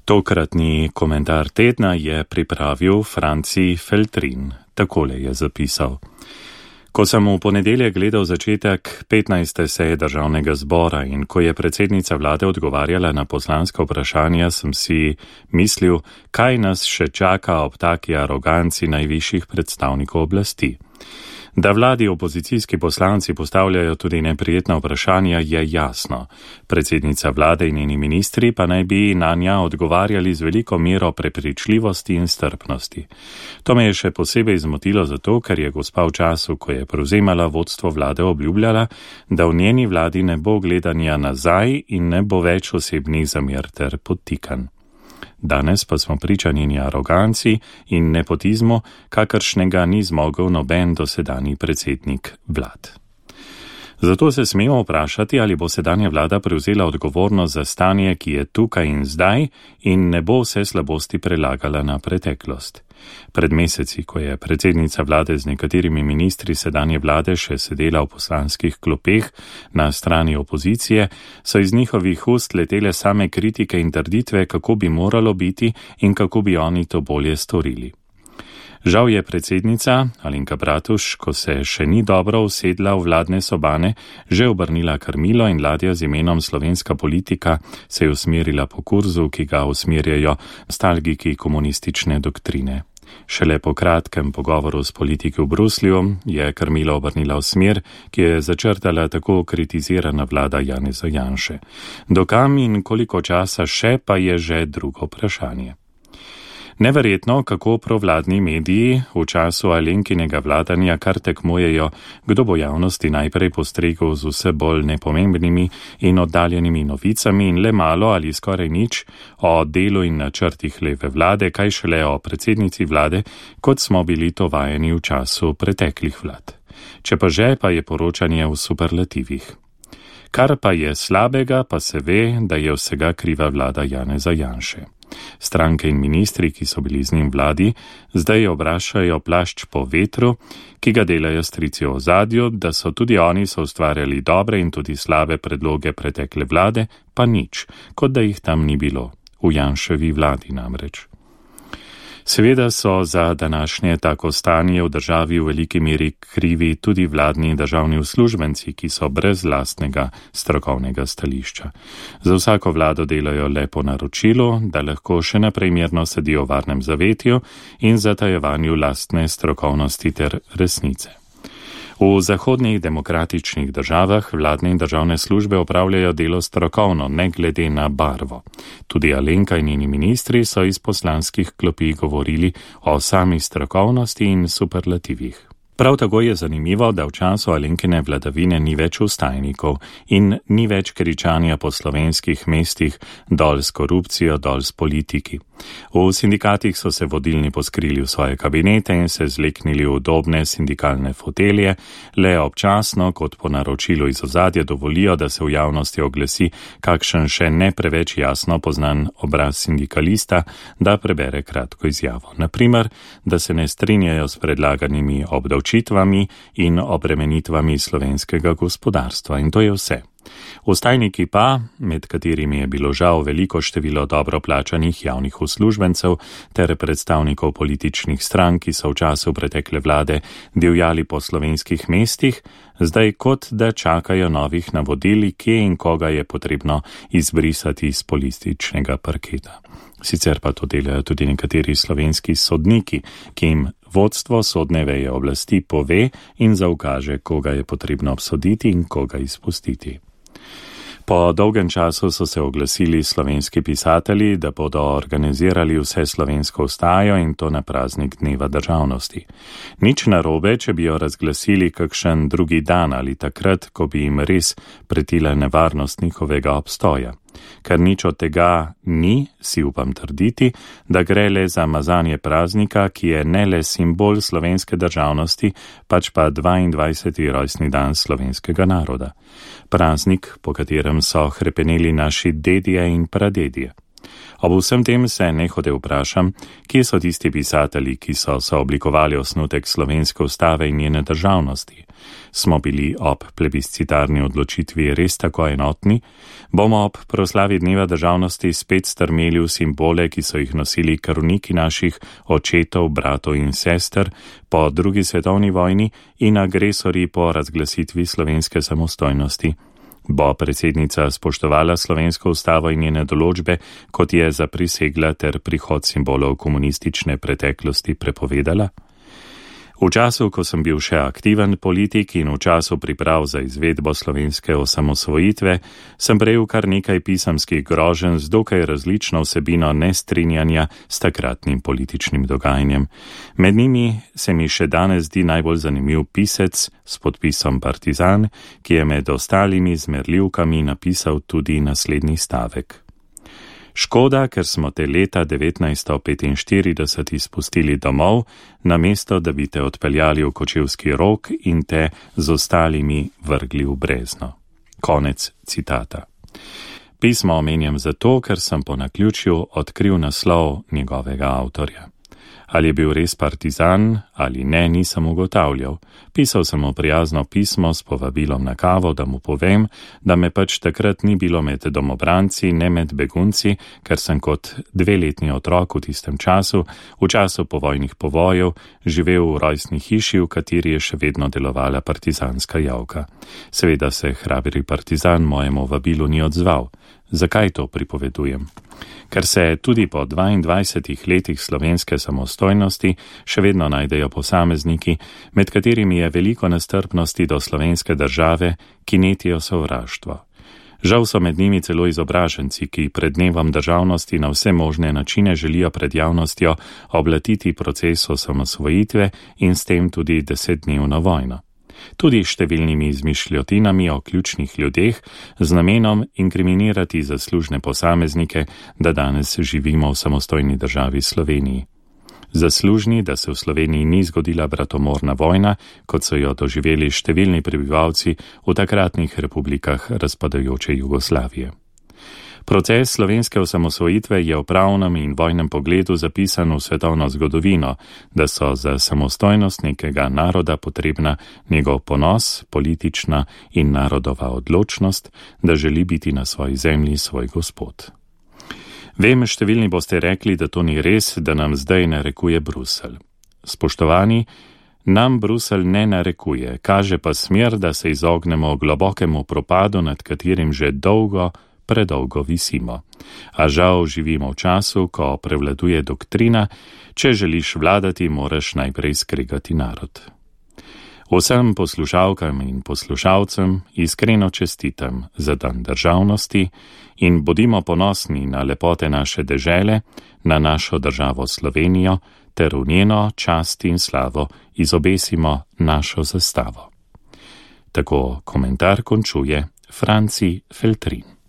Tokratni komentar tedna je pripravil Franci Feltrin. Takole je zapisal. Ko sem v ponedeljek gledal začetek 15. seje državnega zbora in ko je predsednica vlade odgovarjala na poslanska vprašanja, sem si mislil, kaj nas še čaka ob taki aroganci najvišjih predstavnikov oblasti. Da vladi opozicijski poslanci postavljajo tudi neprijetna vprašanja, je jasno. Predsednica vlade in njeni ministri pa naj bi na nja odgovarjali z veliko mero prepričljivosti in strpnosti. To me je še posebej zmotilo zato, ker je gospa v času, ko je prevzemala vodstvo vlade, obljubljala, da v njeni vladi ne bo gledanja nazaj in ne bo več osebnih zamer ter podtikanj. Danes pa smo priča njeni aroganci in nepotizmu, kakršnega ni zmogel noben dosedanji predsednik vlad. Zato se smemo vprašati, ali bo sedanja vlada prevzela odgovornost za stanje, ki je tukaj in zdaj in ne bo vse slabosti prelagala na preteklost. Pred meseci, ko je predsednica vlade z nekaterimi ministri sedanje vlade še sedela v poslanskih klopeh na strani opozicije, so iz njihovih ust letele same kritike in trditve, kako bi moralo biti in kako bi oni to bolje storili. Žal je predsednica Alenka Bratuš, ko se še ni dobro usedla v vladne sobane, že obrnila krmilo in ladja z imenom Slovenska politika se je usmerila po kurzu, ki ga usmerjajo nostalgiki komunistične doktrine. Šele po kratkem pogovoru s politiki v Bruslju je krmilo obrnila v smer, ki je začrtala tako kritizirana vlada Janeza Janše. Dokam in koliko časa še pa je že drugo vprašanje. Neverjetno, kako provladni mediji v času Alenkinega vladanja kar tekmujejo, kdo bo javnosti najprej postregel z vse bolj nepomembnimi in oddaljenimi novicami in le malo ali skoraj nič o delu in načrtih leve vlade, kaj šele o predsednici vlade, kot smo bili to vajeni v času preteklih vlad. Če pa že, pa je poročanje v superlativih. Kar pa je slabega, pa se ve, da je vsega kriva vlada Janeza Janše. Stranke in ministri, ki so bili z njim vladi, zdaj obrašajo plašč po vetru, ki ga delajo strici v ozadju, da so tudi oni ustvarjali dobre in tudi slabe predloge pretekle vlade, pa nič, kot da jih tam ni bilo, v Janševi vladi namreč. Seveda so za današnje tako stanje v državi v veliki meri krivi tudi vladni državni uslužbenci, ki so brez lastnega strokovnega stališča. Za vsako vlado delajo le po naročilu, da lahko še naprej mirno sedijo v varnem zavetju in zatajevanju lastne strokovnosti ter resnice. V zahodnih demokratičnih državah vladne in državne službe opravljajo delo strokovno, ne glede na barvo. Tudi Alenka in njeni ministri so iz poslanskih klopi govorili o sami strokovnosti in superlativih. Prav tako je zanimivo, da v času Alenkine vladavine ni več vstajnikov in ni več kričanja po slovenskih mestih dol s korupcijo, dol s politiki. V sindikatih so se vodilni poskrili v svoje kabinete in se zleknili v udobne sindikalne fotelje, le občasno, kot po naročilu iz ozadja, dovolijo, da se v javnosti oglasi kakšen še ne preveč jasno poznan obraz sindikalista, da prebere kratko izjavo. Naprimer, da se ne strinjajo s predlaganimi obdavčitvami in obremenitvami slovenskega gospodarstva. In to je vse. Vstajniki pa, med katerimi je bilo žal veliko število dobro plačanih javnih uslužbencev ter predstavnikov političnih strank, ki so v času pretekle vlade divjali po slovenskih mestih, zdaj kot da čakajo novih navodil, kje in koga je potrebno izbrisati iz političnega parketa. Sicer pa to delajo tudi nekateri slovenski sodniki, ki jim vodstvo sodne veje oblasti pove in zaukaže, koga je potrebno obsoditi in koga izpustiti. Po dolgem času so se oglasili slovenski pisatelji, da bodo organizirali vse slovensko vstajo in to na praznik Dneva državnosti. Nič narobe, če bi jo razglasili kakšen drugi dan ali takrat, ko bi jim res pretila nevarnost njihovega obstoja. Ker nič od tega ni, si upam trditi, da gre le za mazanje praznika, ki je ne le simbol slovenske državnosti, pač pa 22. rojstni dan slovenskega naroda. Praznik, po katerem so hrepeneli naši dedje in pradedje. Ob vsem tem se nehote vprašam, kje so tisti pisatelji, ki so sooblikovali osnutek slovenske ustave in njene državnosti. Smo bili ob plebiscitarni odločitvi res tako enotni? Bomo ob proslavi dneva državnosti spet strmeli v simbole, ki so jih nosili krvniki naših očetov, bratov in sester po drugi svetovni vojni in agresorji po razglasitvi slovenske samostojnosti? Bo predsednica spoštovala slovensko ustavo in njene določbe, kot je zaprisegla ter prihod simbolov komunistične preteklosti prepovedala? V času, ko sem bil še aktiven politik in v času priprav za izvedbo slovenske osamosvojitve, sem prejel kar nekaj pisemskih groženj z dokaj različno vsebino nestrinjanja s takratnim političnim dogajanjem. Med njimi se mi še danes zdi najbolj zanimiv pisec s podpisom Partizan, ki je med ostalimi zmerljivkami napisal tudi naslednji stavek. Škoda, ker smo te leta 1945 izpustili domov, namesto da bi te odpeljali v Kočevski Rog in te z ostalimi vrgli v brezno. Konec citata. Pismo omenjam zato, ker sem po naključju odkril naslov njegovega avtorja. Ali je bil res partizan ali ne, nisem ugotavljal. Pisal sem mu prijazno pismo s povabilom na kavo, da mu povem, da me pač takrat ni bilo med domobranci, ne med begunci, ker sem kot 2-letni otrok v tistem času, v času povojnih povojev, živel v rojstni hiši, v kateri je še vedno delovala partizanska javka. Seveda se hrabri partizan mojemu vabilu ni odzval. Zakaj to pripovedujem? Ker se tudi po 22 letih slovenske samostojnosti še vedno najdejo posamezniki, med katerimi je veliko nestrpnosti do slovenske države, ki netijo sovraštvo. Žal so med njimi celo izobraženci, ki pred dnevom državnosti na vse možne načine želijo pred javnostjo oblatiti proces osamosvojitve in s tem tudi 10-dnevno vojno. Tudi številnimi izmišljotinami o ključnih ljudeh z namenom inkriminirati zaslužne posameznike, da danes živimo v samostojni državi Sloveniji. Zaslužni, da se v Sloveniji ni zgodila bratomorna vojna, kot so jo doživeli številni prebivalci v takratnih republikah razpadajoče Jugoslavije. Proces slovenske osamosvojitve je v pravnem in vojnem pogledu zapisan v svetovno zgodovino, da so za samostojnost nekega naroda potrebna njegov ponos, politična in narodova odločnost, da želi biti na svoji zemlji svoj gospod. Vem, številni boste rekli, da to ni res, da nam zdaj narekuje Bruselj. Spoštovani, nam Bruselj ne narekuje, kaže pa smer, da se izognemo globokemu propadu, nad katerim že predolgo visimo. A žal živimo v času, ko prevladuje doktrina, če želiš vladati, moraš najprej skregati narod. Vsem poslušalkam in poslušalcem iskreno čestitam za dan državnosti in bodimo ponosni na lepote naše dežele, na našo državo Slovenijo, ter v njeno čast in slavo izobesimo našo zastavo. Tako komentar končuje Franci Feltrin.